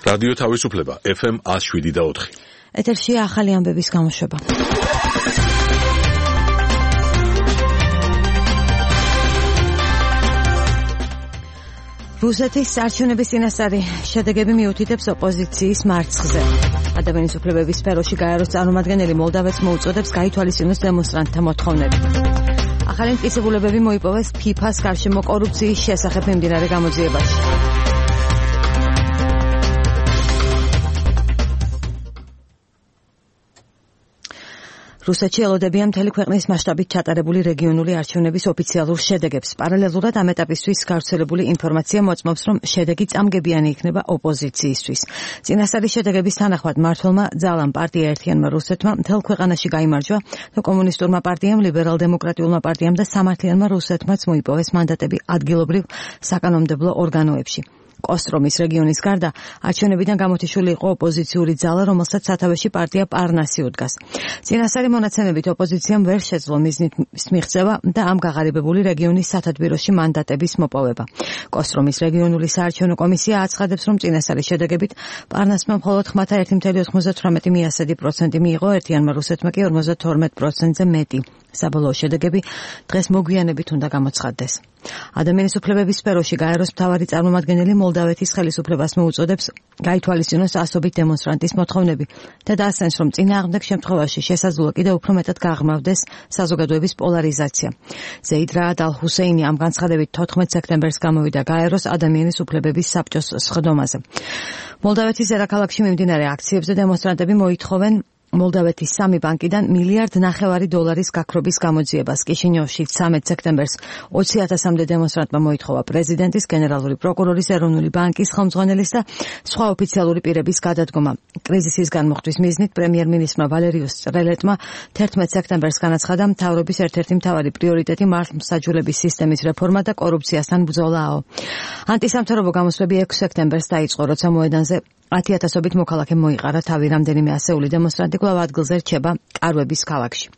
რადიო თავისუფლება FM 107.4. ეთერშია ახალი ამბების გამოშვება. რუსეთის არჩევნების წინასწარი შედეგები მიუთითებს ოპოზიციის მარცხზე. ადამიანის უფლებების სფეროში გაეროს წარმომადგენელი მოლდავეთს მოუწოდებს გაითვალისწინოს დემონსტრანტთა მოთხოვნები. ახალი მტკიცებულებები მოიპოვეს FIFA-ს გარშემო კორუფციის შესახებ მიმდინარე გამოძიებაში. რუსეთში ელოდებიან მთელი ქვეყნის მასშტაბით ჩატარებული რეგიონული არჩევნების ოფიციალურ შედეგებს. პარალელურად ამ ეტაპისთვის გავრცელებული ინფორმაცია მოწმობს, რომ შედეგი წამგებიანი იქნება ოპოზიციისთვის. წინასწარი შედეგების თანახმად მმართველმა ძალამ პარტია ერთიანმა რუსეთმა მთელ ქვეყანაში გაიმარჯვა და კომუნისტურმა პარტიამ, ლიბერალ-დემოკრატიულმა პარტიამ და სამართლიანმა რუსეთმაც მოიპოვეს მანდატები ადგილობრივ საკანონმდებლო ორგანოებში. კოსტრომის რეგიონის გარდა არჩევნებიდან გამოთიშული იყო ოპოზიციური ძალა, რომელსაც სათავეში პარტია პარნასი უდგას. წინასწარი მონაცემებით ოპოზიციამ ვერ შეძლო მიზნით მიღწევა და ამ გაღარიბებული რეგიონის სათადბიროში მანდატების მოპოვება. კოსტრომის რეგიონული საარჩევნო კომისია აცხადებს, რომ წინასწარი შედეგებით პარნასმა მხოლოდ 1,98% მიიღო, ერთიანმა რუსეთმა კი 52%-ზე მეტი. საბოლოო შედეგები დღეს მოგვიანებით უნდა გამოცხადდეს. ადამიანის უფლებების სფეროში გაეროს მთავარი წარმომადგენელი მოლდავეთის ხელისუფლებას მოუწოდებს გაითვალისწინოს ასობით დემონსტრანტის მოთხოვნები და დაასვენს, რომ წინააღმდეგ შემთხვევაში შესაძლოა კიდევ უფრო მეტად გაღრმავდეს საზოგადოების პოლარიზაცია. ზეიდ რაად ალ-ჰუსეინი ამ განცხადებით 14 სექტემბერს გამოვიდა გაეროს ადამიანის უფლებების საბჭოს სხდომაზე. მოლდავეთის დედაქალაქში მიმდინარე აქციებზე დემონსტრანტები მოითხოვენ მოლდავეთის 3 ბანკიდან $1.5 მილიარდ გაქრობის გამოძიებას. კიშინიოვში 13 სექტემბერს 20,000-მდე დემონსტრანტმა მოითხოვა პრეზიდენტის, გენერალური პროკურორის, ეროვნული ბანკის ხელმძღვანელის და სხვა ოფიციალური პირების გადადგომა. კრიზისის განმოხტვის მიზნით პრემიერ-მინისტრმა ვალერიუს ტრელეტმა 11 სექტემბერს განაცხადა, მთავრობის ერთ-ერთი მთავარი პრიორიტეტი მართლმსაჯულების სისტემის რეფორმა და კორუფციასთან ბრძოლაო. ანტისამთავრობო გამოსვლები 6 სექტემბერს დაიწყო, როცა მოედანზე 10,000-ობით მოქალაქე მოიყარა თავი. რამდენიმე ასეული დემონსტრანტი კვლავ ადგილზე რჩება კარვების ქალაქში.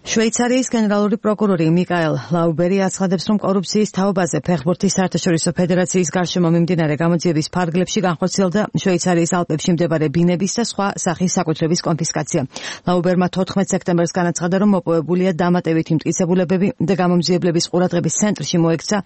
შვეიცარიის გენერალური პროკურორი მიკაელ ლაუბერი აცხადებს, რომ კორუფციის თაობაზე ფეხბურთის საერთაშორისო ფედერაციის გარშემო მიმდინარე გამოძიების ფარგლებში განხორციელდა შვეიცარიის ალპებში მდებარე ბინების და სხვა სახის საკუთრების კონფისკაცია. ლაუბერმა 14 სექტემბერს განაცხადა, რომ მოპოვებულია დამატებითი მტკიცებულებები და გამომძიებლების ყურადღების ცენტრში მოექცა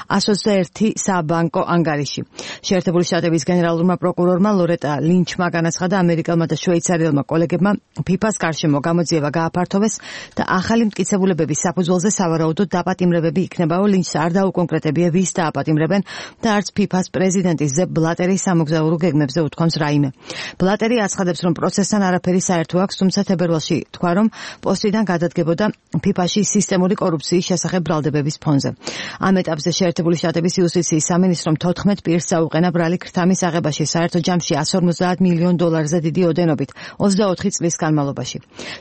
121 საბანკო ანგარიში. შეერთებული შტატების გენერალურმა პროკურორმა ლორეტა ლინჩმა განაცხადა, ამერიკელმა და შვეიცარიელმა კოლეგებმა FIFA-ს გარშემო გამოძიება გააფართოვეს და ახალი მტკიცებულებების საფუძველზე სავარაუდოდ დაპატიმრებები იქნებაო. ლინჩს არ დაუკონკრეტებია, ვის დააპატიმრებენ და არც FIFA-ს პრეზიდენტის ზებ ბლატერის სამოგზაურო გეგმებზე უთქვამს რაიმე. ბლატერი აცხადებს, რომ პროცესთან არაფერი საერთო აქვს, თუმცა თებერვალში თქვა, რომ პოსტიდან გადადგებოდა FIFA-ში სისტემური კორუფციის შესახებ ბრალდებების ფონზე. ამ ეტაპზე შეერთებული შტატების იუსტიციის სამინისტრომ 14 პირს წაუყენა ბრალი ქრთამის აღებაში საერთო ჯამში $150 მილიონ დიდი ოდენობით 24 წლის განმავლობაში.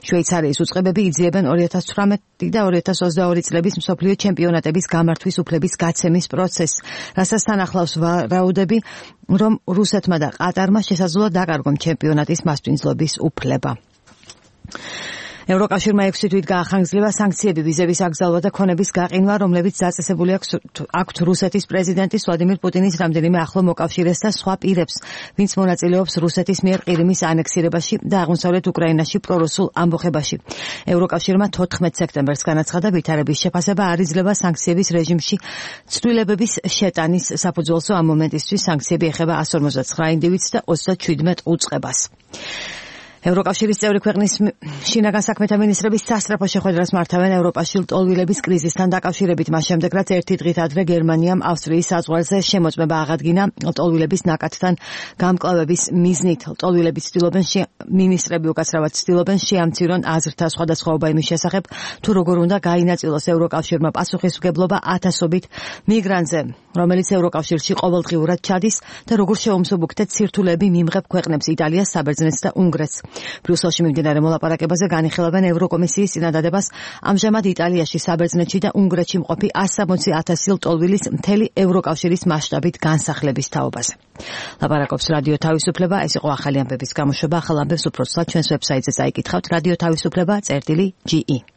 შვეიცარიის უწყებები იძიებენ 2018 და 2022 წლების მსოფლიო ჩემპიონატების გამართვის უფლების გაცემის პროცესს, რასაც თან ახლავს ვარაუდები, რომ რუსეთმა და ყატარმა შესაძლოა დაკარგონ ჩემპიონატის მასპინძლობის უფლება. ევროკავშირმა 6 თვით გაახანგრძლივა სანქციები, ვიზების აკრძალვა და ქონების გაყინვა, რომლებიც დაწესებული აქვთ რუსეთის პრეზიდენტის ვლადიმირ პუტინის რამდენიმე ახლო მოკავშირეს და სხვა პირებს, ვინც მონაწილეობს რუსეთის მიერ ყირიმის ანექსირებაში და აღმოსავლეთ უკრაინაში პრორუსულ ამბოხებაში. ევროკავშირმა 14 სექტემბერს განაცხადა, ვითარების შეფასება არ იძლევა სანქციების რეჟიმში ცვლილებების შეტანის საფუძველსო. ამ მომენტისთვის სანქციები ეხება 159 ინდივიდს და 37 უწყებას. ევროკავშირის წევრი ქვეყნის შინაგან საქმეთა მინისტრების სასწრაფო შეხვედრას მართავენ ევროპაში ლტოლვილების კრიზისთან დაკავშირებით. მას შემდეგ, რაც ერთი დღით ადრე გერმანიამ ავსტრიის საზღვარზე შემოწმება აღადგინა ლტოლვილების ნაკადთან გამკლავების მიზნით. ლტოლვილები ცდილობენ მინისტრები უკაცრავად ცდილობენ შეამცირონ აზრთა სხვადასხვაობა იმის შესახებ, თუ როგორ უნდა გაინაწილოს ევროკავშირმა პასუხისმგებლობა 1000-ობით მიგრანტზე, რომელიც ევროკავშირში ყოველდღიურად ჩადის და როგორ შეუმსუბუქდეთ სირთულეები მიმღებ ქვეყნებს იტალიას, საბერძნეთს და უნგრეთს. ბრიუსელში მიმდინარე მოლაპარაკებაზე განიხილავენ ევროკომისიის წინადადებას ამჟამად იტალიაში, საბერძნეთში და უნგრეთში მყოფი 160,000 ლტოლვილის მთელი ევროკავშირის მასშტაბით განსახლების თაობაზე. ლაპარაკობს რადიო თავისუფლება. ეს იყო ახალი ამბების გამოშვება. ახალ ამბებს უფრო ცუდად ჩვენს ვებსაიტზე წაიკითხავთ. რადიო თავისუფლება.ge